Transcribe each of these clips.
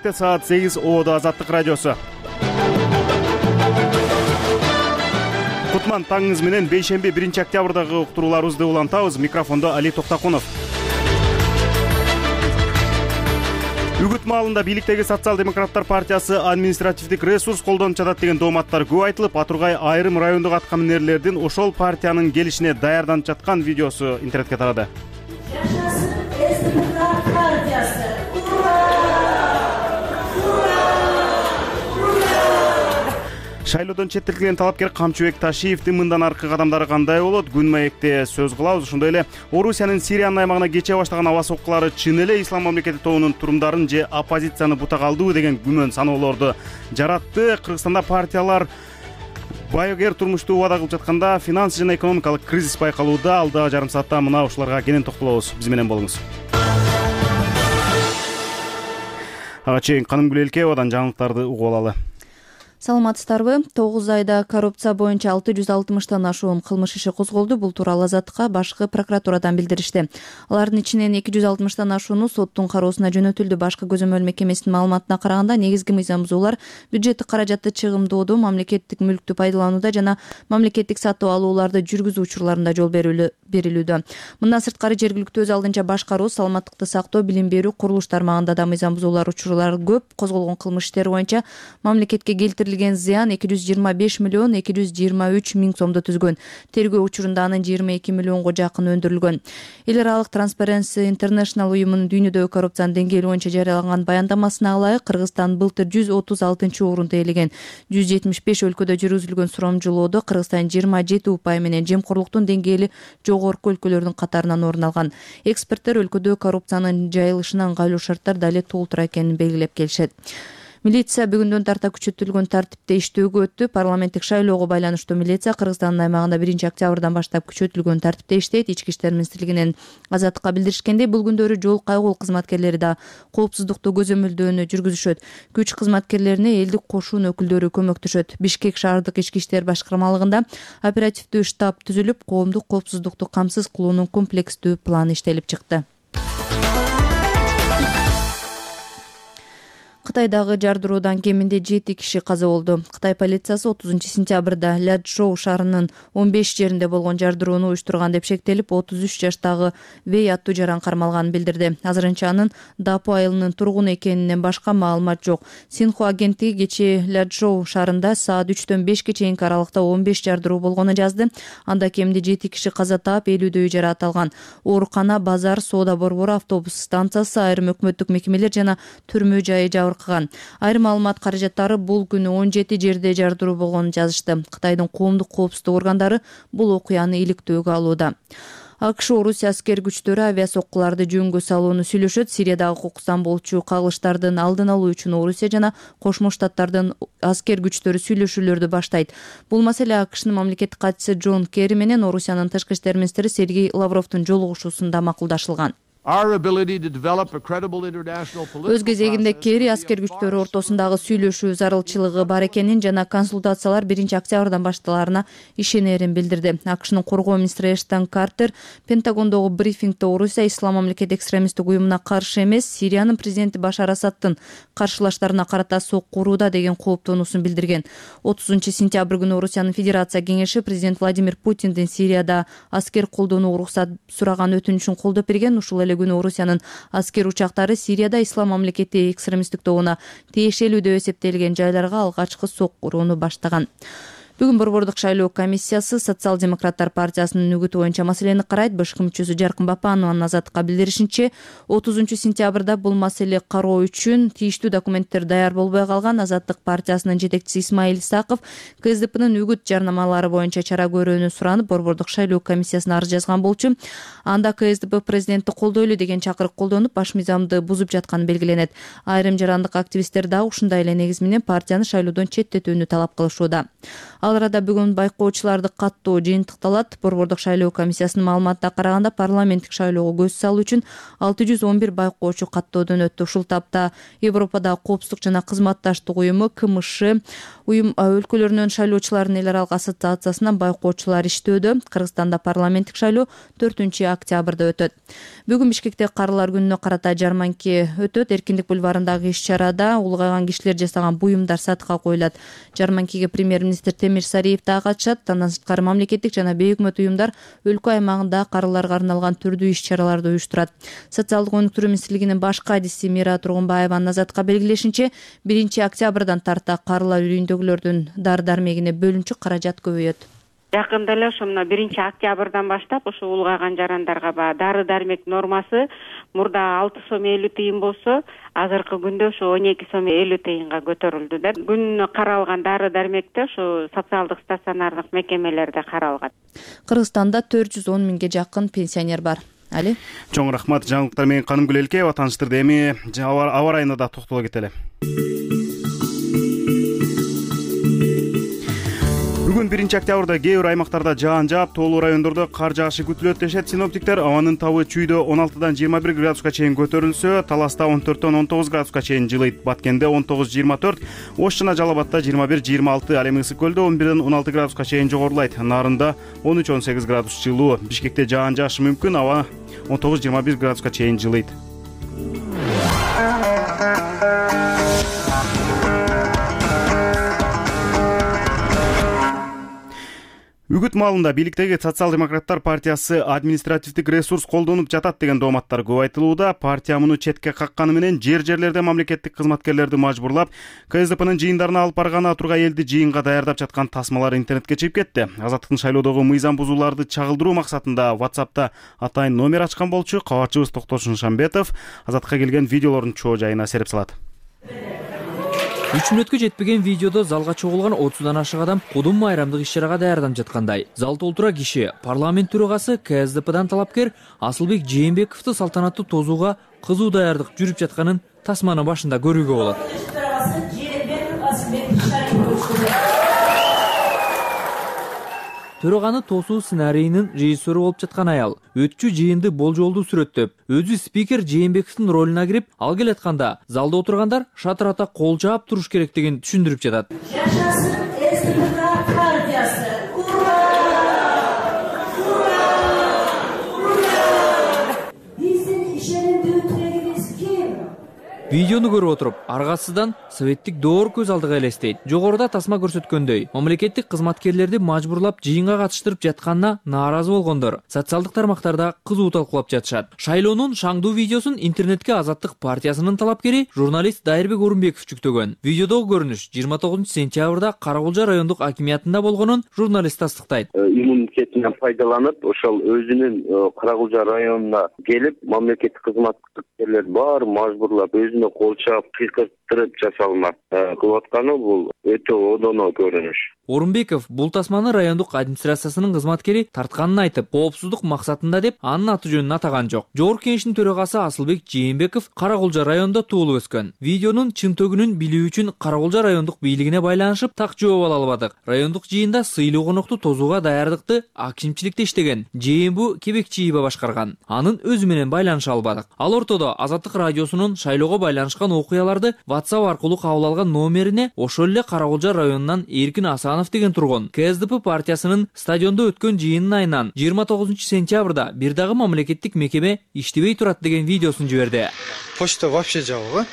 Келечекте саат 8 Оодо Азаттык радиосу. Кутман таңыңыз менен бейшемби 1-октябрдагы уктурууларыбызды улантабыз. Микрофондо Али Токтакунов. Үгүт маалында бийликтеги Социал-демократтар партиясы административдик ресурс колдонуп жатат деген дооматтар көп айтылып, Атургай айрым райондук аткаминерлердин ошол партиянын келишине даярданып жаткан видеосу интернетке тарады. Шайлоодон четтетилген талапкер Камчыбек Ташиевдин мындан аркы кадамдары кандай болот? Күн маекте сөз кылабыз. Ошондой эле Орусиянын Сириянын аймагына кече баштаган аба соккулары чын эле ислам мамлекети тобунун турумдарын же оппозицияны бута калдыбы деген күмөн саноолорду жаратты. Кыргызстанда партиялар байыгер турмушту убада кылып жатканда финанс жана экономикалык кризис байкалууда. Алдагы жарым саатта мына ушуларга кенен токтолобуз. Биз менен болуңуз. Ага чейин Канымгүл Элкеевадан жаңылыктарды угуп алалы. Саламатсыздарбы? 9 айда коррупция боюнча 660тан ашуун кылмыш иши козголду. Бул тууралуу Азаттыкка башкы прокуратурадан билдиришти. Алардын ичинен 260тан ашууну соттун кароосуна жөнөтүлдү. Башкы көзөмөл мекемесинин маалыматына караганда негизги мыйзам бузуулар бюджеттик каражатты чыгымдоодо, мамлекеттик мүлктү пайдаланууда жана мамлекеттик сатып алууларды жүргүзүү учурларында жол берилүүдө. Мындан сырткары жергиликтүү өз алдынча башкаруу, саламаттыкты сактоо, билим берүү, курулуш тармагында да мыйзам бузуулар учурлары көп. Козголгон кылмыш иштери боюнча мамлекетке келтирилген зыян 225 миллион 223 миң сомду түзгөн. Тергөө учурунда анын 22 миллионго жакын өндүрүлгөн. Эл аралык Transparency International уюмунун дүйнөдөгү коррупциянын деңгээли боюнча жарыялаган баяндамасына ылайык, Кыргызстан былтыр 136-орунду ээлеген. 175 өлкөдө жүргүзүлгөн сурамжылоодо Кыргызстан 27 упай менен жемкорлуктун деңгээли жогорку өлкөлөрдүн катарынан орун алган. Эксперттер өлкөдө коррупциянын жайылышына ыңгайлуу шарттар дале толтура экенин белгилеп келишет. Милиция бүгүндөн тарта күчөтүлгөн тартипте иштөөгө өттү. Парламенттик шайлоого байланыштуу милиция Кыргызстандын аймагында 1-октябрдан баштап күчөтүлгөн тартипте иштейт. Ички иштер министрлигинен Азаттыкка билдиришкендей, бул күндөрү жол кайгыл кызматкерлери да коопсуздукту көзөмөлдөөнү жүргүзүшөт. Күч кызматкерлерине элдик кошун өкүлдөрү көмөктөшөт. Бишкек шаардык ички иштер башкармалыгында оперативдүү штаб түзүлүп, коомдук коопсуздукту камсыз кылуунун комплекстүү планы иштелип чыкты. Кытайдагы жардыруудан кеминде 7 киши каза болду. Кытай полициясы 30-сентябрда Ляджоу шаарынын 15 жеринде болгон жардырууну уюштурган деп шектелип, 33 жаштагы Вэй аттуу жаран кармалганын билдирди. Азырынча анын Дапу айылынын тургуну экенинен башка маалымат жок. Синхуа агенттиги кечээ Ляджоу шаарында саат 3-төн 5-ке чейинки аралыкта 15 жардыруу болгонун жазды. Анда кеминде 7 киши каза таап, 50дөй жаракат алган. Оорукана, базар, соода борбору, автобус станциясы, айрым өкмөттүк мекемелер жана түрмө жайы Айрым маалымат каражаттары бул күнү 17 жерде жардыруу болгонун жазышты. Кытайдын коомдук коопсуздук органдары бул окуяны иликтөөгө алууда. АКШ Орусия аскер күчтөрү авиасоккуларды жөнгө салууну сүйлөшөт. Сириядагы кокустан болчу кагылыштардын алдын алуу үчүн Орусия жана Кошмо Штаттардын аскер күчтөрү сүйлөшүүлөрдү баштайт. Бул маселе АКШнын мамлекеттик катчысы Джон Керри менен Орусиянын тышкы иштер министри Сергей Лавровдун жолугушуусунда макулдашылган. Өз кезегинде Керри аскер күчтөрү ортосундагы сүйлөшүү зарылчылыгы бар экенин жана консультациялар 1-октябрдан башталарына ишенерин билдирди. АКШнын коргоо министри Эштон Картер Пентагондогу брифингде Орусия ислам мамлекет экстремисттик уюмуна каршы эмес, Сириянын президенти Башар Асадтын каршылаштарына карата сокку урууда деген кооптонуусун билдирген. 30-сентябрь күнү Орусиянын Федерация кеңеши президент Владимир Путиндин Сирияда аскер колдонууга уруксат сураган өтүнүчүн колдоп берген. Ушул күнү Орусиянын аскер учактары Сирияда ислам мамлекети экстремисттик тобуна тиешелүү деп эсептелген жайларга алгачкы сокку урууну баштаган. Бүгүн Борбордук шайлоо комиссиясы Социал-демократтар партиясынын үгүтү боюнча маселени карайт. БШК мүчөсү Жаркын Бапанованын Азаттыкка билдиришинче, 30-сентябрда бул маселе кароо үчүн тийиштүү документтер даяр болбой калган. Азаттык партиясынын жетекчиси Исмаил Исаков КСДПнын үгүт жарнамалары боюнча чара көрүүнү суранып, Борбордук шайлоо комиссиясына арыз жазган болчу. Анда КСДП президентти колдойлу деген чакырык колдонуп, баш мыйзамды бузуп жатканы белгиленет. Айрым жарандык активисттер дагы ушундай эле негиз менен партияны шайлоодон четтетүүнү талап кылышууда. Ал Ал арада бүгүн байкоочуларды каттоо жыйынтыкталат. Борбордук шайлоо комиссиясынын маалыматына караганда парламенттик шайлоого көз салуу үчүн 611 байкоочу каттоодон өттү. Ушул тапта Европадагы коопсуздук жана кызматташтык уюму КМШ өлкөлөрүнүн шайлоочулардын эл аралык ассоциациясынан байкоочулар иштөөдө. Кыргызстанда парламенттик шайлоо 4-октябрда өтөт. Бүгүн Бишкекте карылар күнүнө карата жарманке өтөт. Эркиндик бульварындагы иш-чарада улгайган кишилер жасаган буюмдар сатыкка коюлат. Жарманкеге премьер-министр Темир Сариев да катышат. Андан сырткары мамлекеттик жана бейөкмөт уюмдар өлкө аймагында карыларга арналган түрдүү иш-чараларды уюштурат. Социалдык өнүктүрүү министрлигинин баш кадиси Мира Тургунбаеванын Азатка белгилешинче 1-октябрдан тарта карылар үйүндөгүлөрдүн дары-дармегине бөлүнчү каражат көбөйөт. Жакында эле ошо мына 1-октябрдан баштап ошо улгайган жарандарга баягы дары-дармек нормасы мурда 6 сом 50 тыйын болсо, азыркы күндө ошо 12 сом 50 тыйынга көтөрүлдү да. Күнүнө каралган дары-дармекте ошо социалдык стационардык мекемелерде каралган. Кыргызстанда 410 миңге жакын пенсионер бар. Али. Чоң рахмат. Жаңылыктар менен Канымгүл Элкеева тааныштырды. Эми аба ырайына да токтоло кетели. Бүгүн 1-октябрда кээ бир аймактарда жаан жаап, тоолуу райондордо кар жаашы күтүлөт дешет синоптиктер. Абанын табы Чүйдө 16-дан 21 градуска чейин көтөрүлсө, Таласта 14-төн 19 градуска чейин жылыйт. Баткенде 19-24, Ош жана Жалал-Абадта 21-26, ал эми Ысык көлдө 11-ден 16 градуска чейин жогорулайт. Нарында 13-18 градус жылуу. Бишкекте жаан жаашы мүмкүн, аба 19-21 градуска чейин жылыйт. Үгүт маалында бийликтеги Социал-демократтар партиясы административдик ресурс колдонуп жатат деген дооматтар көп айтылууда. Партия муну четке какканы менен жер-жерлерде мамлекеттик кызматкерлерди мажбурлап, КСДПнын жыйындарына алып барганы тургай элди жыйынга даярдап жаткан тасмалар интернетке чыгып кетти. Азаттыктын шайлоодогу мыйзам бузууларды чагылдыруу максатында WhatsApp'та атайын номер ачкан болчу. Кабарчыбыз Токтош Нышанбетов Азаттыкка келген видеолордун чоо жайына сереп салат. 3 мүнөткө жетпеген видеодо залга чогулган 30дан ашык адам кудум майрамдык иш-чарага даярданып жаткандай. Зал толтура киши парламент төрагасы КСДПдан талапкер Асылбек Жээнбековду салтанаттуу тозууга кызуу даярдык жүрүп жатканын тасманын башында көрүүгө болот. Төраганы тосуу сценарийинин режиссеру болуп жаткан аял өтчү жыйынды болжолдуу сүрөттөп, өзү спикер Жээнбековдун ролуна кирип, ал келатканда залда отургандар шатырата кол жаап туруш керектигин түшүндүрүп жатат. Жашасын СДП партиясы. Биздин ишенимдүү тирегибиз ким? Видеону көрүп отуруп, аргасыздан советтик доор көз алдыга элестейт. Жогоруда тасма көрсөткөндөй, мамлекеттик кызматкерлерди мажбурлап жыйынга катыштырып жатканына нааразы болгондор социалдык тармактарда кызуу талкуулап жатышат. Шайлоонун шаңдуу видеосун интернетке Азаттык партиясынын талапкери журналист Дайырбек Орунбеков жүктөгөн. Видеодогу көрүнүш 29 сентябрда Каракулжа райондук акимиятында болгонун журналист тастыктайт. Иммунитетинен пайдаланып, ошол өзүнүн Каракулжа районуна келип, мамлекеттик кызматкерлер бар мажбурлап кол чаап кыйкырттырып жасалмак кылып атканы бул өтө одоно көрүнүш. Орунбеков бул тасманы райондук администрациясынын кызматкери тартканын айтып, коопсуздук максатында деп анын аты жөнүн атаган жок. Жогорку кеңештин төрагасы Асылбек Жээнбеков Каракулжа районунда туулуп өскөн. Видеонун чын төгүнүн билүү үчүн Каракулжа райондук бийлигине байланышып так жооп ала албадык. Райондук жыйында сыйлуу конокту тозууга даярдыкты акимчиликте иштеген Жээнбу Кебекчиева башкарган. Анын өзү менен байланыша албадык. Ал ортодо Азаттык радиосунун шайлоого байланышкан окуяларды WhatsApp аркылуу кабыл алган номерине ошол эле Каракулжа районунан Эркин Асанов деген тургун КСДП партиясынын стадиондо өткөн жыйынын айынан 29 сентябрда бир дагы мамлекеттик мекеме иштебей турат деген видеосун жиберди. Почта вообще жабык.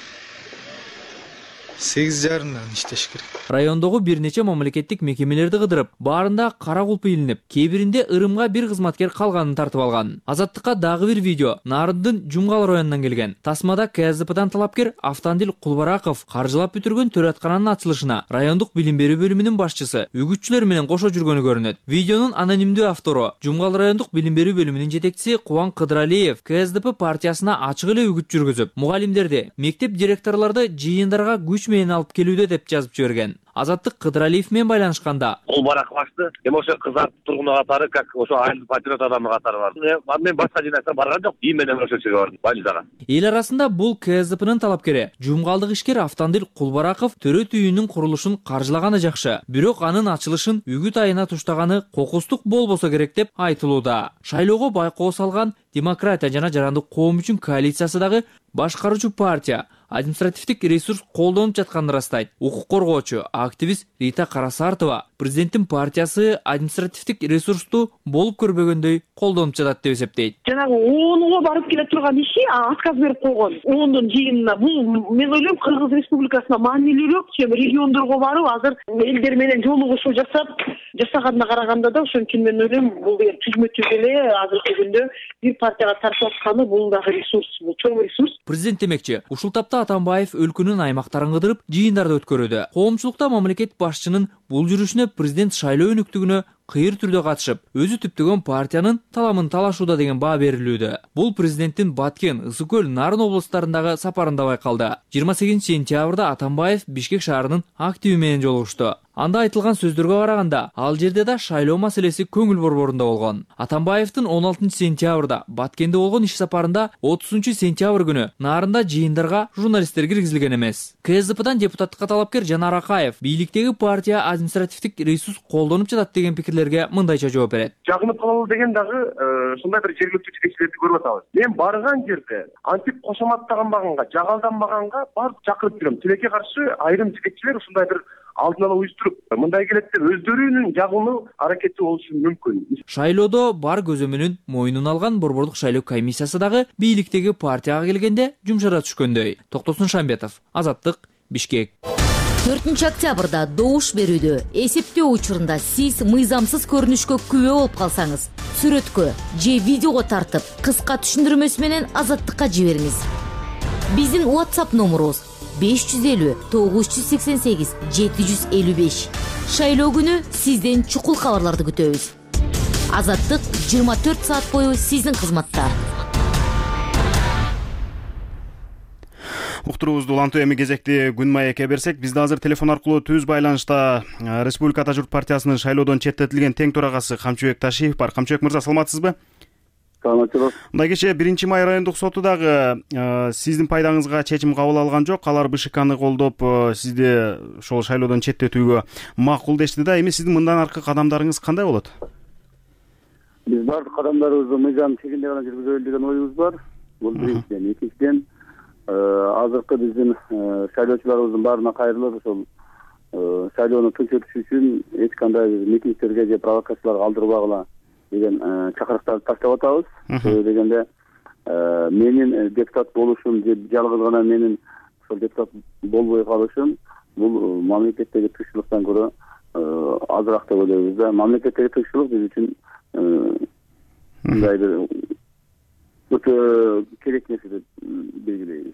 8:30-дан иштеш керек. Райондогу бир нече мамлекеттик мекемелерди кыдырып, баарында кара кулп илинип, кээ биринде ырымга бир кызматкер калганын тартып алган. Азаттыкка дагы бир видео Нарындын Жумгал районунан келген. Тасмада КСДПдан талапкер Автандил Кулбараков каржылап бүтүргөн төрөткананын ачылышына райондук билим берүү бөлүмүнүн башчысы үгүтчүлөр менен кошо жүргөнү көрүнөт. Видеонун анонимдүү автору Жумгал райондук билим берүү бөлүмүнүн жетекчиси Кубан Кыдыралиев КСДП партиясына ачык эле үгүт жүргүзүп, мугалимдерди, мектеп директорлорду жыйындарга күч менен алып келүүдө деп жазып жиберген. Азаттык Кыдыралиев менен байланышканда кол барак башты эми ошо кызартып тургуну катары как ошо айыл патриот адамы катары бардым. Мен башка жинакка барган жок. И менен ошо жерге бардым больницага. Эл арасында бул КСДПнын талапкери жумгалдык ишкер Автандил Кулбараков төрөт үйүнүн курулушун каржылаганы жакшы, бирок анын ачылышын үгүт айына туштаганы кокустук болбосо керек деп айтылууда. Шайлоого байкоо салган Демократия жана Жарандык коом үчүн коалициясы дагы башкаруучу партия административдик ресурс колдонуп жатканын ырастайт. Укук коргоочу активист Рита Карасартова президенттин партиясы административдик ресурсту болуп көрбөгөндөй колдонуп жатат деп эсептейт. Жанагы ООНго барып келе турган иши отказ берип койгон. ООНдун жыйынына бул мен ойлойм Кыргыз Республикасына маанилүүрөөк, чем региондорго барып азыр элдер менен жолугушуу жасаганына караганда да ошон үчүн мен ойлойм бул түзмө түз эле азыркы күндө бир партияга тартып атканы бул дагы ресурс, бул чоң ресурс. Президент демекчи, ушул тапта Атамбаев өлкөнүн аймактарын кыдырып, жыйындарды өткөрүүдө. Коомчулукта мамлекет башчынын бул жүрүшүнө президент шайлоо өнүктүгүнө кыйыр түрдө катышып, өзү түптөгөн партиянын таламын талашууда деген баа берилүүдө. Бул президенттин Баткен, Ысык көл, Нарын облустарындагы сапарында байкалды. 28 сентябрда Атамбаев Бишкек шаарынын активи менен жолугушту. Анда айтылган сөздөргө караганда, ал жерде да шайлоо маселеси көңүл борборунда болгон. Атамбаевдин 16 сентябрда Баткенде болгон иш сапарында 30 сентябрь күнү Нарында жыйындарга журналисттер киргизилген эмес. КСДПдан депутаттыкка талапкер Жанар Акаев бийликтеги партия административдик ресурс колдонуп жатат деген пикирлерге мындайча жооп берет. Жагынып калалы деген дагы ушундай бир жергиликтүү жетекчилерди көрүп атабыз. Мен барган жерде антип кошоматтаганбаганга, жагалданбаганга барып чакырып жүрөм. Тилекке каршы айрым жетекчилер ушундай бир алдын ала уюштуруп, мындай келет деп өздөрүнүн жагылуу аракети болушу мүмкүн. Шайлоодо бар көзөмөлүн мойнуна алган Борбордук шайлоо комиссиясы дагы бийликтеги партияга келгенде жумшара түшкөндөй. Токтосун Шамбетов, Азаттык, Бишкек. 4 октябрда добуш берүүдө эсептөө учурунда сиз мыйзамсыз көрүнүшкө күбө болуп калсаңыз, сүрөткө же видеого тартып, кыска түшүндүрмөсү менен Азаттыкка жибериңиз. Биздин WhatsApp номерубуз 550 988 755. Шайлоо күнү сизден чукул кабарларды күтөбүз. Азаттык 24 саат бою сиздин кызматта. Уктуруубузду улантуу эми кезекти Күн маекке берсек, бизде азыр телефон аркылуу түз байланышта Республика Ата журт партиясынын шайлоодон четтетилген тең төрагасы Камчыбек Ташиев бар. Камчыбек мырза, саламатсызбы? Саламатсызбы. Мындай кечээ 1-май райондук соту дагы сиздин пайдаңызга чечим кабыл алган жок. Алар БШКны колдоп, сизди ошол шайлоодон четтетүүгө макул дешти да. Эми сиздин мындан аркы кадамдарыңыз кандай болот? Биз бардык кадамдарыбызды мыйзам чегинде гана жүргүзөлү деген оюбуз бар. Бул биринчиден. Экинчиден, азыркы биздин шайлоочуларыбыздын баарына кайрылып, ошол шайлоону тынч өтүшү үчүн эч кандай митингтерге же провокацияларга алдырбагыла деген чакырыктарды таштап атабыз. Себеби дегенде менин депутат болушум же жалгыз гана менин ошол депутат болбой калышым бул мамлекеттеги тынччылыктан көрө азыраак деп ойлойбуз да. Мамлекеттеги тынччылык биз үчүн мындай бир өтө керек нерсе деп белгилейбиз.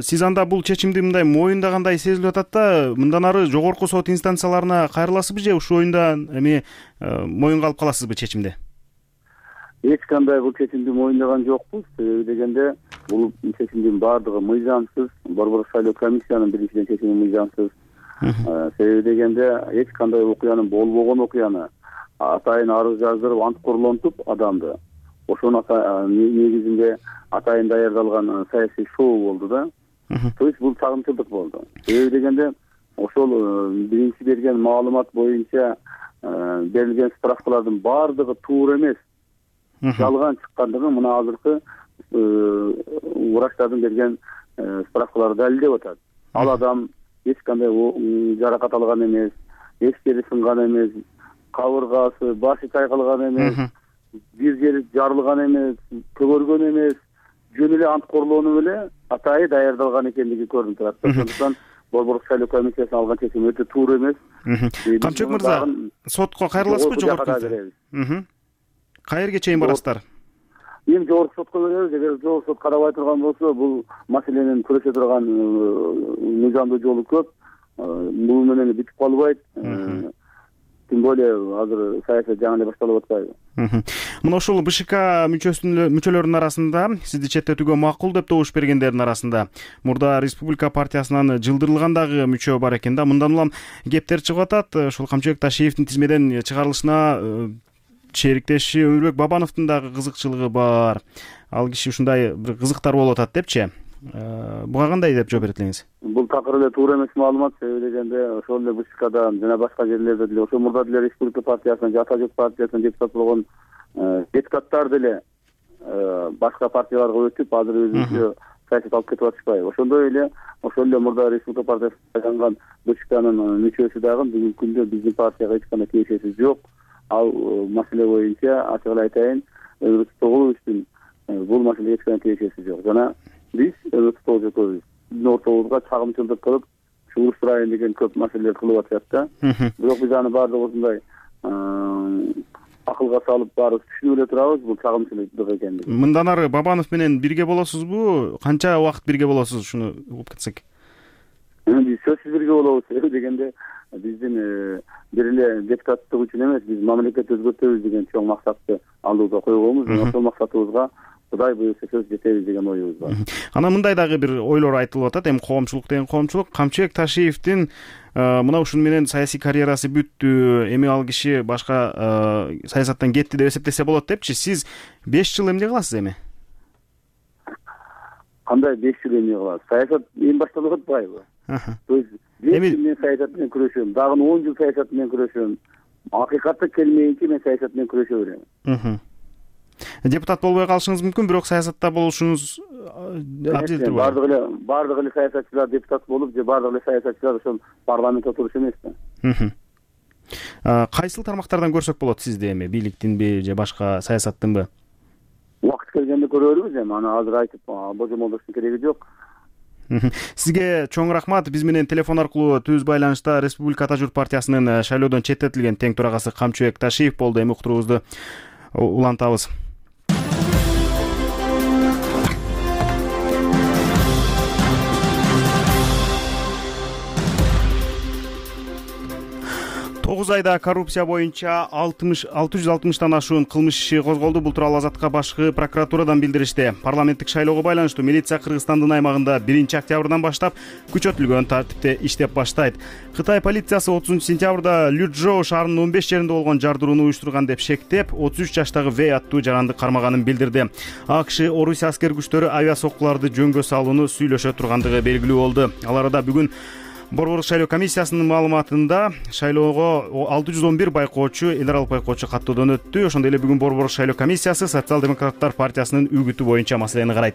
Сиз анда бул чечимди мындай моюндагандай сезилип атат да, мындан ары жогорку сот инстанцияларына кайрыласызбы же ушул оюнда эми моюнга алып каласызбы чечимди? Эч кандай бул чечимди моюндаган жокпуз. Себеби дегенде бул чечимдин баардыгы мыйзамсыз. Борбордук шайлоо комиссиянын биринчиден чечими мыйзамсыз. Себеби дегенде эч кандай окуянын болбогон окуяны атайын арыз жаздырып, ант корлонтуп адамды ошонун негизинде атайын даярдалган саясий шоу болду да. То есть бул чагымчылдык болду. Себеби дегенде ошол биринчи берген маалымат боюнча берилген справкалардын баардыгы туура эмес, жалган чыккандыгы мына азыркы врачтардын берген справкалары далилдеп атат. Ал адам эч кандай жаракат алган эмес, эч жери сынган эмес, кабыргасы, башы чайкалган эмес, бир жери жарылган эмес, көгөргөн эмес, жөн эле ант корлоону эле атайы даярдалган экендиги көрүнүп турат. Ошондуктан Борбордук шайлоо комиссиясынын алган чечими өтө туура эмес. Камчыбек мырза, сотко кайрыласызбы жогорку? Кайерге чейин барасыздар? Эми жогорку сотко беребиз. Эгер жогорку сот карабай турган болсо, бул маселенин күрөшө турган мыйзамдуу жолу көп. Бул менен бүтүп калбайт. тем более азыр саясат жаңы эле башталып атпайбы. Мына ушул БШК мүчөлөрүнүн арасында сизди четтетүүгө макул деп добуш бергендердин арасында мурда Республика партиясынан жылдырылган дагы мүчө бар экен да. Мындан улам кептер чыгып атат. Ушул Камчыбек Ташиевдин тизмеден чыгарылышына шериктеши Өмүрбек Бабановдун дагы кызыкчылыгы бар. Ал киши ушундай бир кызыктар болуп атат депчи. Буга кандай деп жооп берет элеңиз? Бул такыр эле туура эмес маалымат. Себеби дегенде ошол эле БШКдан жана башка жерлерде деле ошо мурда деле Республика партиясынан же Ата журт партиясынан депутат болгон депутаттар деле башка партияларга өтүп азыр өзүнчө саясат алып кетип атышпайбы. Ошондой эле ошол эле мурда Республика партиясынан сайланган БШКнын мүчөсү дагы бүгүнкү күндө биздин партияга эч кандай тиешеси жок. Ал маселе боюнча ачык эле айтайын, Өмүрбек Тоголовичтин бул маселеге эч кандай тиешеси жок. Жана биз Өмүрбек Тоголович биздин ортобузга чагымчылдык кылып, чугуштырайын деген көп маселелер кылып атышат да. Бирок биз аны баардыгы ушундай акылга салып баарыбыз түшүнүп эле турабыз, бул чагымчылык экендигин. Мындан ары Бабанов менен бирге болосузбу? Канча убакыт бирге болосуз? Ушуну угуп кетсек. Биз сөзсүз бирге болобуз. Себеби дегенде биздин бир эле депутаттык үчүн эмес, биз мамлекетти өзгөртөбүз деген чоң максатты алдыга койгонбуз. Ошол максатыбызга Кудай буюрса сөз жетебиз деген оюбуз бар. Анан мындай дагы бир ойлор айтылып атат. Эми коомчулук деген коомчулук Камчыбек Ташиевдин мына ушуну менен саясий карьерасы бүттү, эми ал киши башка саясаттан кетти деп эсептесе болот депчи. Сиз 5 жыл эмне кыласыз эми? Кандай 5 жыл эмне кыласыз? Саясат эми башталып атпайбы? То есть мен саясат менен күрөшөм, дагы 10 жыл саясат менен күрөшөм. Акыйкатты келмейинче мен саясат менен күрөшө берем. Депутат болбой калышыңыз мүмкүн, бирок саясатта болушуңуз абзелдир. Бардык эле саясатчылар депутат болуп, же бардык эле саясатчылар ошол парламентте отуруш эмес да. Кайсыл тармактардан көрсөк болот сизди эми? Бийликтинби же башка саясаттынбы? Убакыт келгенде көрөрбүз эми. Аны азыр айтып божомолдоштун кереги жок. Сизге чоң рахмат. Биз менен телефон аркылуу түз байланышта Республика Ата журт партиясынын шайлоодон четтетилген тең төрагасы Камчыбек Ташиев болду. Эми уктуруубузду улантабыз. Тогуз айда коррупция боюнча 660тан ашуун кылмыш иши козголду. Бул тууралуу Азаттыкка башкы прокуратурадан билдиришти. Парламенттик шайлоого байланыштуу милиция Кыргызстандын аймагында 1-октябрдан баштап күчөтүлгөн тартипте иштеп баштайт. Кытай полициясы 30-сентябрда Лючжоу шаарынын 15 жеринде болгон жардырууну уюштурган деп шектеп, 33 жаштагы Вэй аттуу жаранды кармаганын билдирди. АКШ Орусия аскер күчтөрү авиа соккуларды жөнгө салууну сүйлөшө тургандыгы белгилүү болду. Ал арада бүгүн Борборлук шайлоо комиссиясынын маалыматында шайлоого 611 байкоочу, эл аралык байкоочу каттоодон өттү. Ошондой эле бүгүн Борборлук шайлоо комиссиясы Социал-демократтар партиясынын үгүтү боюнча маселени карайт.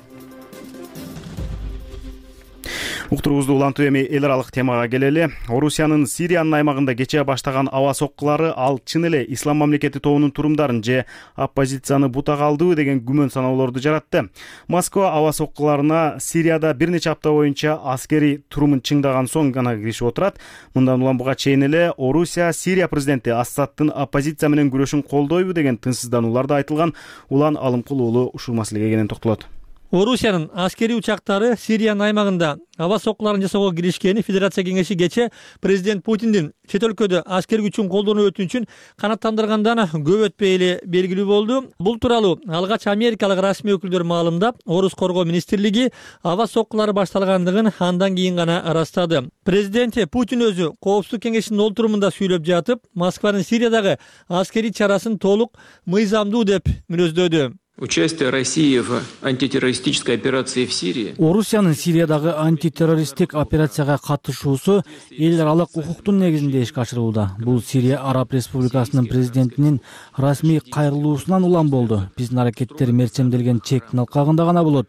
Уктуруубузду улантуу эми эл аралык темага келели. Орусиянын Сириянын аймагында кечээ баштаган аба соккулары ал чын эле Ислам мамлекети тобунун турумдарын же оппозицияны бутага алдыбы деген күмөн саноолорду жаратты. Москва аба соккуларына Сирияда бир нече апта боюнча аскери турумун чыңдаган соң гана киришип отурат. Мындан улам буга чейин эле Орусия Сирия президенти Асадтын оппозиция менен күрөшүн колдойбу деген тынчсыздануулар да айтылган. Улан Алымкул уулу ушул маселеге кенен токтолот. Орусиянын аскери учактары Сириянын аймагында аба соккуларын жасоого киришкени Федерация кеңеши кечээ президент Путиндин чет өлкөдө аскер күчүн колдонуу өтүнүчүн канааттандыргандан көп өтпөй эле белгилүү болду. Бул тууралуу алгач америкалык расмий өкүлдөр маалымдап, Орус коргоо министрлиги аба соккулары башталгандыгын андан кийин гана ырастады. Президент Путин өзү Коопсуздук кеңешинин олтурумунда сүйлөп жатып, Москванын Сириядагы аскери чарасын толук мыйзамдуу деп мүнөздөдү. Участие России в антитеррористической операции в Сирии. Орусиянын Сириядагы антитеррористтик операцияга катышуусу эл аралык укуктун негизинде ишке ашырылууда. Бул Сирия Араб Республикасынын президентинин расмий кайрылуусунан улам болду. Биздин аракеттер мерчемделген чектин алкагында гана болот.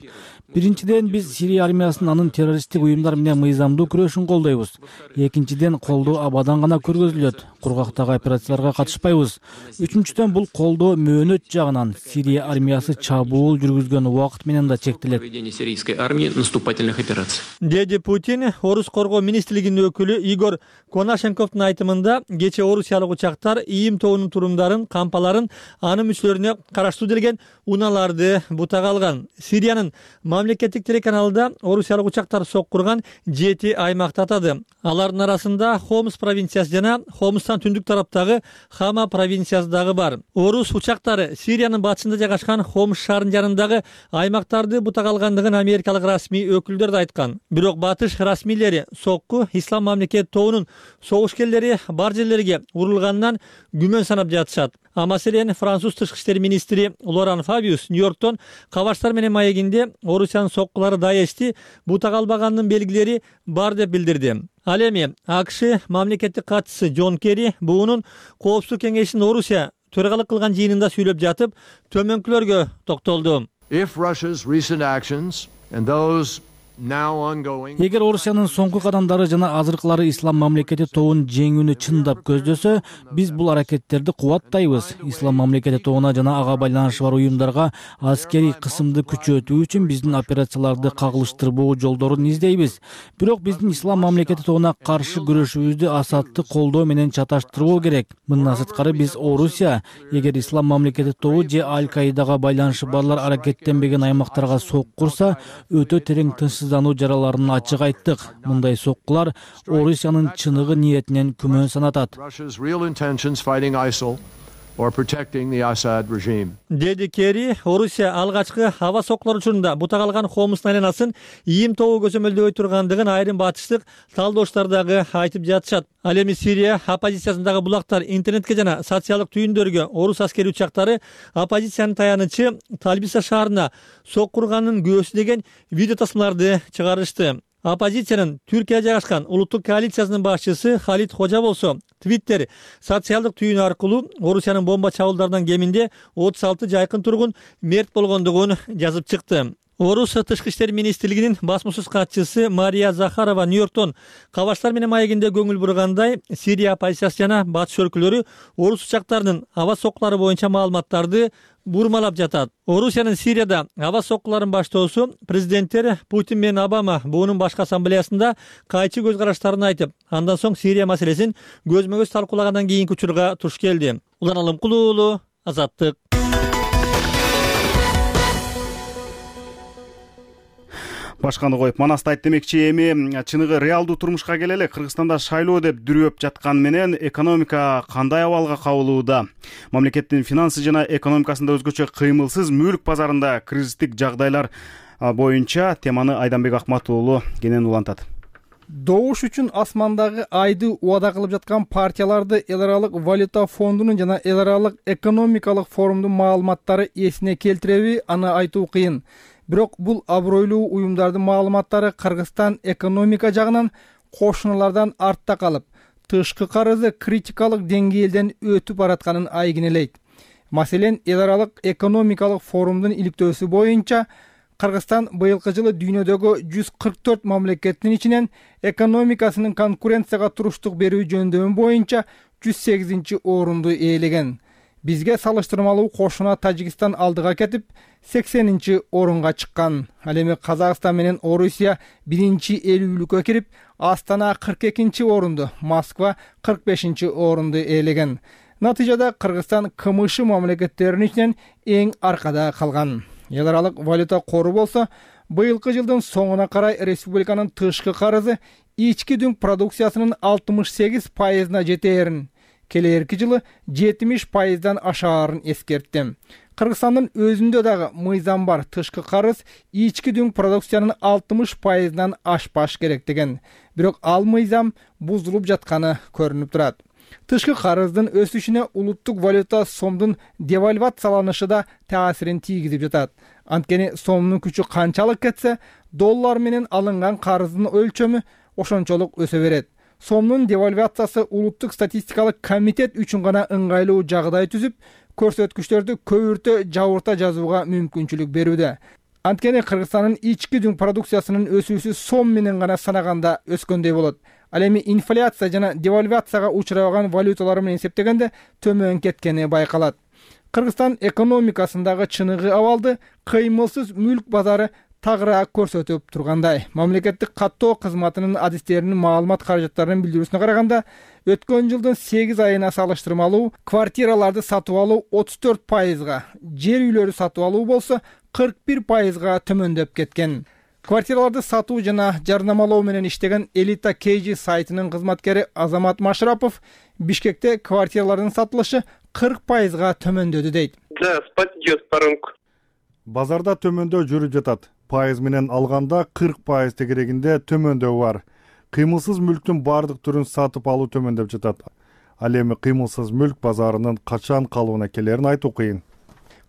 Биринчиден, биз Сирия армиясынын анын террористтик уюмдар менен мыйзамдуу күрөшүн колдойбуз. Экинчиден, колдоо абадан гана көргөзүлөт. Кургактагы операцияларга катышпайбыз. Үчүнчүдөн, бул колдоо мөөнөт жагынан Сирия армиясы армиясы чабуул жүргүзгөн убакыт менен да чектелет. Проведение сирийской армии наступательных операций. Деди Путин. Орус коргоо министрлигинин өкүлү Игорь Конашенковдун айтымында кече орусиялык учактар ИИМ тобунун турумдарын, кампаларын, анын мүчөлөрүнө караштуу делген унааларды бутага алган. Сириянын мамлекеттик телеканалында орусиялык учактар соккурган 7 аймакты атады. Алардын арасында Хомс провинциясы жана Хомстан түндүк тараптагы Хама провинциясы дагы бар. Орус учактары Сириянын батышында жайгашкан Хомс шаарынын жанындагы аймактарды бутага алгандыгын америкалык расмий өкүлдөр да айткан. Бирок батыш расмийлери сокку Ислам мамлекет тобунун согушкерлери бар жерлерге урулганынан күмөн санап жатышат. А маселен француз тышкы иштер министри Лоран Фабиус Нью-Йорктон Кабаштар менен маегинде Орусиянын соккулары Даешти бутага албаганынын белгилери бар деп билдирди. Ал эми АКШ мамлекеттик катчысы Джон Керри буунун Коопсуздук кеңешинин Орусия төрагалык кылган жыйынында сүйлөп жатып, төмөнкүлөргө токтолду. Эгер Орусиянын соңку кадамдары жана азыркылары Ислам мамлекети тобун жеңүүнү чындап көздөсө, биз бул аракеттерди кубаттайбыз. Ислам мамлекети тобуна жана ага байланышы бар уюмдарга аскерий кысымды күчөтүү үчүн биздин операцияларды кагылыштырбоо жолдорун издейбиз. Бирок биздин Ислам мамлекети тобуна каршы күрөшүүбүздү Асадты колдоо менен чаташтырбоо керек. Мындан сырткары биз Орусия, эгер Ислам мамлекети тобу же Аль-Каидага байланышы барлар аракеттенбеген аймактарга соккурса, өтө терең тынчсыздануу жараларын ачык айттык. Мындай соккулар Орусиянын чыныгы ниетинен күмөн санатат. Деди Керри. Орусия алгачкы аба соккулар учурунда бутага алган Хомстун айланасын ИИМ тобу көзөмөлдөбөй тургандыгын айрым батыштык талдоочулар дагы айтып жатышат. Ал эми Сирия оппозициясындагы булактар интернетке жана социалдык түйүндөргө орус аскери учактары оппозициянын таянычы Талбиса шаарына соккурганын күбөсү деген видео тасмаларды чыгарышты. Оппозициянын Түркия жайгашкан улуттук коалициясынын башчысы Халид Хожа болсо Твиттер социалдык түйүнү аркылуу Орусиянын бомба чабуулдарынан кеминде 36 жайкын тургун мерт болгондугун жазып чыкты. Орус тышкы иштер министрлигинин басмасөз катчысы Мария Захарова Нью-Йорктон Кабаштар менен маегинде көңүл бургандай, Сирия оппозициясы жана батыш өлкөлөрү орус учактарынын аба соккулары боюнча маалыматтарды бурмалап жатат. Орусиянын Сирияда аба соккуларын баштоосу президенттер Путин менен Обама буунун башкы ассамблеясында кайчы көз караштарын айтып, андан соң Сирия маселесин көзмө-көз талкуулагандан кийинки учурга туш келди. Улан Алымкулуу уулу, Азаттык. Башканы коюп, Манасты айт демекчи, эми чыныгы реалдуу турмушка келели. Кыргызстанда шайлоо деп дүрөп жаткан менен экономика кандай абалга кабылууда? Мамлекеттин финансы жана экономикасында өзгөчө кыймылсыз мүлк базарында кризистик жагдайлар боюнча теманы Айданбек Акмат уулу кенен улантат. Добуш үчүн асмандагы айды убада кылып жаткан партияларды эл аралык валюта фондунун жана эл аралык экономикалык форумдун маалыматтары эсине келтиреби, аны айтуу кыйын. Бирок бул абройлуу уюмдардын маалыматтары Кыргызстан экономика жагынан кошуналардан артта калып, тышкы карызы критикалык деңгээлден өтүп баратканын айгинелейт. Маселен, эл аралык экономикалык форумдун иликтөөсү боюнча Кыргызстан быйылкы жылы дүйнөдөгү 144 мамлекеттин ичинен экономикасынын конкуренцияга туруштук берүү жөндөмү боюнча 108 орунду ээлеген. Бизге салыштырмалуу кошуна Тажикстан алдыга кетип, 80 орунга чыккан. Ал эми Казакстан менен Орусия 1-50-лүккө кирип, Астана 42 орунду, Москва 45 орунду ээлеген. Натыйжада Кыргызстан КМШ мамлекеттеринин ичинен эң аркада калган. Эл аралык валюта кору болсо, быйылкы жылдын соңуна карай республиканын тышкы карызы ички дүң продукциясынын 68%-на жетээрин, келерки жылы 70%-дан ашаарын эскертти. Кыргызстандын өзүндө дагы мыйзам бар, тышкы карыз ички дүң продукциянын 60%-нан ашпаш керек деген. Бирок ал мыйзам бузулуп жатканы көрүнүп турат. Тышкы карыздын өсүшүнө улуттук валюта сомдун девальвацияланышы да таасирин тийгизип жатат. Анткени сомдун күчү канчалык кетсе, доллар менен алынган карыздын өлчөмү ошончолук өсө берет. Сомдун девальвациясы улуттук статистикалык комитет үчүн гана ыңгайлуу жагдай түзүп, көрсөткүчтөрдү көбүртө жабырта жазууга мүмкүнчүлүк берүүдө. Анткени Кыргызстандын ички дүң продукциясынын өсүүсү сом менен гана санаганда өскөндөй болот. Ал эми инфляция жана девальвацияга учурабаган валюталар менен эсептегенде төмөн кеткени байкалат. Кыргызстан экономикасындагы чыныгы абалды кыймылсыз мүлк базары тагыраак көрсөтүп тургандай. Мамлекеттик каттоо кызматынын адистеринин маалымат каражаттарынын билдирүүсүнө караганда, өткөн жылдын 8 айына салыштырмалуу квартираларды сатып алуу 34%, жер үйлөрү сатып алуу болсо 41%га төмөндөп кеткен. Квартираларды сатуу жана жарнамалоо менен иштеген Элита KG сайтынын кызматкери Азамат Машрапов Бишкекте квартиралардын сатылышы 40%га төмөндөдү дейт. Да, спад идет по рынку. Базарда төмөндөө жүрүп жатат. Пайыз менен алганда 40% тегерегинде төмөндөө бар. Кыймылсыз мүлктүн бардык түрүн сатып алуу төмөндөп жатат. Ал эми кыймылсыз мүлк базарынын качан калыбына келерин айтуу кыйын.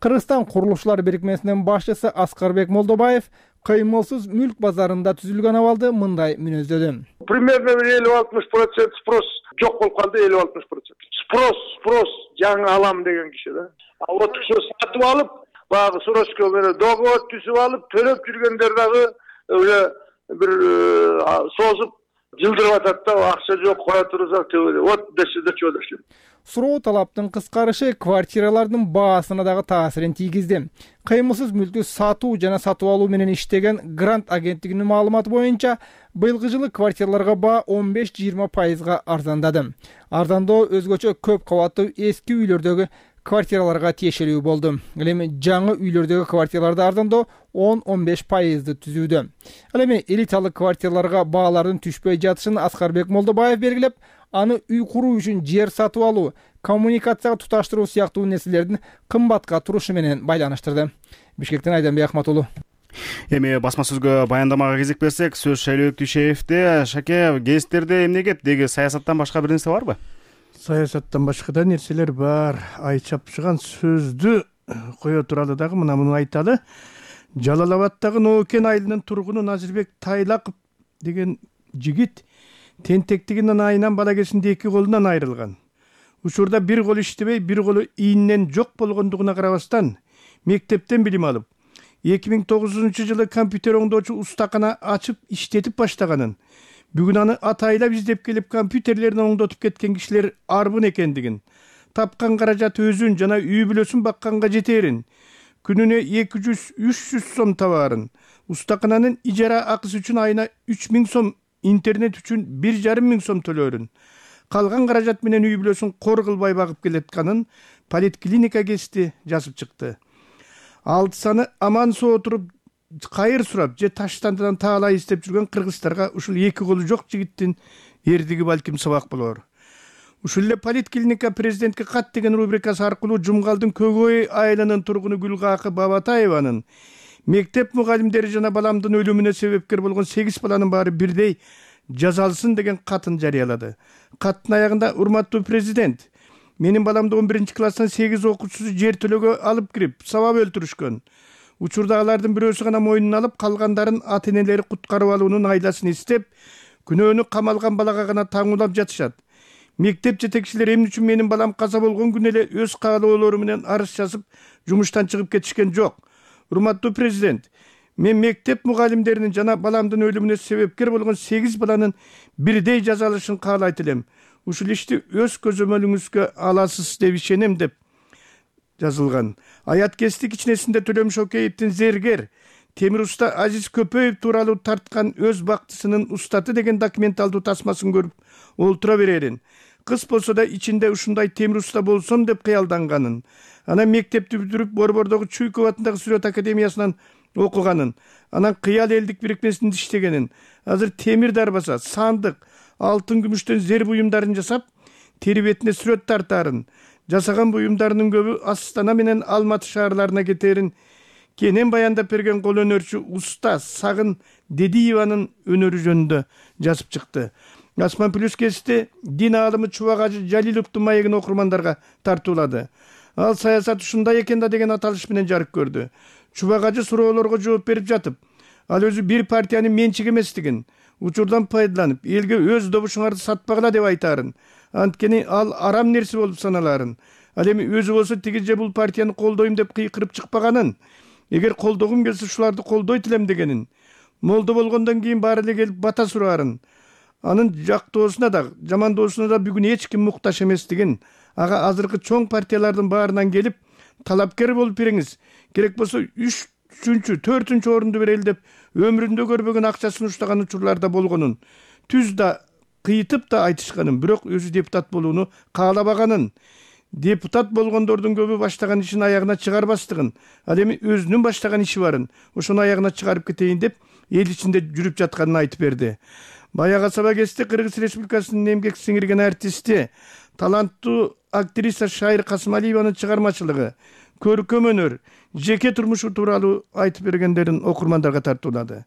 Кыргызстан курулушчулар бирикмесинин башчысы Аскарбек Молдобаев кыймылсыз мүлк базарында түзүлгөн абалды мындай мүнөздөдү. Примерно 50-60% спрос жок болуп калды, 50-60%. Спрос жаңы алам деген киши да. Вот ушу сатып алып, багы срочка менен договор түзүп алып, төлөп жүргөндөр дагы уже бир созуп жылдырып атат да, акча жок, кое турсак төбөлө. Вот десе чөөлөшүп. Суроо талаптын кыскарышы квартиралардын баасына дагы таасирин тийгизди. Кыймылсыз мүлктү сатуу жана сатып алуу менен иштеген Грант агенттигинин маалыматы боюнча, быйылкы жылы квартираларга баа 15-20%га арзандады. Арзандоо өзгөчө көп кабаттуу эски үйлөрдөгү квартираларга тиешелүү болду. Ал эми жаңы үйлөрдөгү квартираларда арзандоо 10-15%ды түзүүдө. Ал эми элиталык квартираларга баалардын түшпөй жатышын Аскарбек Молдобаев белгилеп, аны үй куруу үчүн жер сатып алуу, коммуникацияга туташтыруу сыяктуу нерселердин кымбатка турушу менен байланыштырды. Бишкектен Айданбек Ахматулу. Эми басма сөзгө баяндамага кезек берсек, сөз Шайлообек Дүйшеевде. Шаке, гезиттерде эмне кеп? Деги саясаттан башка бир нерсе барбы? Саясаттан башка да нерселер бар. Ай чапшыган сөздү кое туралы дагы муну айталы. Жалал-Абадтагы Ноокен айылынын тургуну Назирбек Тайлаков деген жигит тентектигинин айынан бала кезинде 2 колунан айрылган. Учурда бир кол иштебей, бир колу ийинен жок болгондугуна карабастан мектептен билим алып, 2009-жылы компьютер оңдоочу устакана ачып иштетип баштаганын, бүгүн аны атайлап издеп келип компьютерлерин оңдотуп кеткен кишилер арбын экендигин, тапкан каражат өзүн жана үй бүлөсүн бакканга жетерин, күнүнө 200-300 сом табаарын, устакананын ижара акысы үчүн айына 3000 сом, интернет үчүн 1,5 сом төлөрүн, калган каражат менен үй бүлөсүн кор кылбай багып келатканын поликлиника кести жазып чыкты. 6 саны аман соо туруп кайыр сурап же таштандан таалай издеп жүргөн кыргыздарга ушул 2 колу жок жигиттин эрдиги балким сабак болор. Ушул эле поликлиника президентке кат деген рубрикасы аркылуу Жумгалдын Көгөй айылынын тургуну Гүлгакы Бабатаеванын мектеп мугалимдери жана баламдын өлүмүнө себепкер болгон 8 баланын баары бирдей жазалсын деген катын жарыялады. Каттын аягында: урматтуу президент, менин баламды 11-класстан 8 окуучусу жер төлөөгө алып кирип, сабап өлтүрүшкөн. Учурда алардын бирөөсү гана мойнуна алып, калгандарын ата-энелери куткарып алуунун айласын издеп, күнөөнү камалган балага гана таңуулап жатышат. Мектеп жетекчилери эмне үчүн менин балам каза болгон күнү эле өз каалоолору менен арыз жазып, жумуштан чыгып кетишкен жок. Урматтуу президент, мен мектеп мугалимдеринин жана баламдын өлүмүнө себепкер болгон 8 баланын бирдей жазалышын каалайт элем. Ушул ишти өз көзөмөлүңүзгө аласыз деп ишенем деп жазылган. Аят кести кичинесинде Төлөм Шокеевдин зергер темир уста Азиз Көпөев тууралуу тарткан өз бактысынын устаты деген документалдуу тасмасын көрүп олтура берерин. Кыз болсо да ичинде ушундай темир уста болсом деп кыялданганын. Анан мектепти бүтүрүп Борбордогу Чуйков атындагы Сүрөт академиясынан окуганын. Анан Кыял элдик бирикмесинде иштегенин. Азыр темир дарбаса, сандык, алтын күмүштөн зер буюмдарын жасап, тери бетине сүрөт тартарын, жасаган буюмдарынын көбү Астана менен Алматы шаарларына кетерин кенен баяндап берген кол өнөрчү уста Сагын Дедиеванын өнөрү жөнүндө жазып чыкты. Асман Плюс кести дин аалымы Чубагажы Жалиловдун маегин окурмандарга тартуулады. Ал саясат ушундай экен да деген аталыш менен жарык көрдү. Чубагажы суроолорго жооп берип жатып, ал өзү бир партиянын менчиги эместигин, учурдан пайдаланып, элге өз добушуңарды сатпагыла деп айтарын. Анткени ал арам нерсе болуп саналарын. Ал эми өзү болсо тиги же бул партияны колдойм деп кыйкырып чыкпаганын, эгер колдогум келсе ушуларды колдойт элем дегенин, молдо болгондон кийин баары эле келип бата сураарын, анын жактоосуна да, жамандоосуна да бүгүн эч ким муктаж эместигин, ага азыркы чоң партиялардын баарынан келип талапкер болуп бериңиз, керек болсо 3-4 орунду берели деп өмүрүндө көрбөгөн акчасын уштаган учурлар да болгонун, түз да кыйтып да айтышканын, бирок өзү депутат болууну каалабаганын, депутат болгондордун көбү баштаган ишин аягына чыгарбастыгын, ал эми өзүнүн баштаган иши барын ошону аягына чыгарып кетейин деп эл ичинде жүрүп жатканын айтып берди. Баягы саба кести Кыргыз Республикасынын эмгек сиңирген артисти, таланттуу актриса Шайыр Касымалиеванын чыгармачылыгы, көркөм өнөр, жеке турмушу тууралуу айтып бергендерин окурмандарга тартуулады.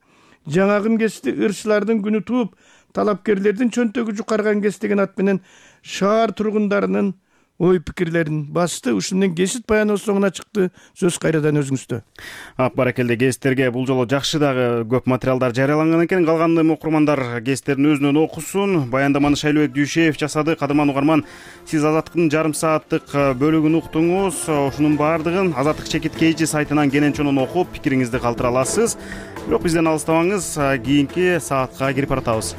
Жаңагы кести ырчылардын күнү тууп, талапкерлердин чөнтөгү жукарган кес деген ат менен шаар тургундарынын ой пикирлерин басты. Ушун менен кесит баяны соңуна чыкты. Сөз кайрадан өзүңүздө. Баракелде, кеситтерге бул жолу жакшы дагы көп материалдар жарыяланган экен. Калган окурмандар кеситтерин өзүнөн окусун. Баяндаманы Шайлообек Дүйшеев жасады. Кадырман угарман, сиз Азаттыктын жарым сааттык бөлүгүн уктуңуз. Ушунун баардыгын Азаттык чекит KG сайтынан кенен окуп, пикириңизди калтыра аласыз. Бирок бизден алыстабаңыз, кийинки саатка кирип баратабыз.